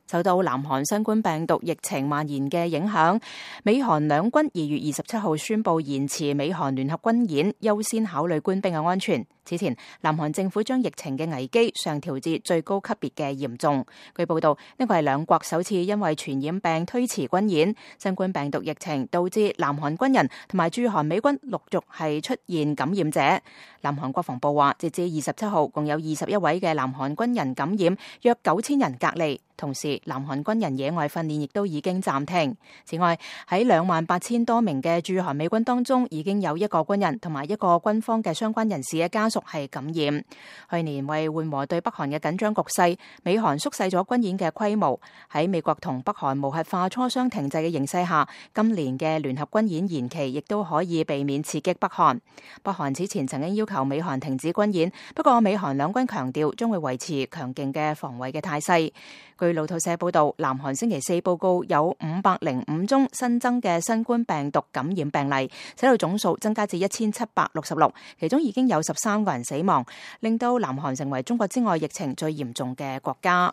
受到南韓新冠病毒疫情蔓延嘅影響，美韓兩軍2月27號宣布延遲美韓聯合軍演，優先考慮官兵嘅安全。此前，南韓政府將疫情嘅危機上調至最高級別嘅嚴重。據報道，呢個係兩國首次因為傳染病推遲軍演。新冠病毒疫情導致南韓軍人同埋駐韓美軍陸續係出現感染者。南韓國防部話，截至27號，共有21位嘅南韓軍人感染，約9000人隔離。同時，南韓軍人野外訓練亦都已經暫停。此外，喺28000多名嘅駐韓美軍當中，已經有1個軍人同埋1個軍方嘅相關人士嘅家屬係感染。去年為緩和對北韓嘅緊張局勢，美韓縮細咗軍演嘅規模。喺美國同北韓無核化磋商停滯嘅形勢下，今年嘅聯合軍演延期亦都可以避免刺激北韓。北韓此前曾經要求美韓停止軍演，不過美韓兩軍強調將會維持強勁嘅防衛嘅態勢。據路透社報道，南韓星期四報告有505宗新增嘅新冠病毒感染病例，使到總數增加至1766，其中已經有13個人死亡，令到南韓成為中國之外疫情最嚴重嘅國家。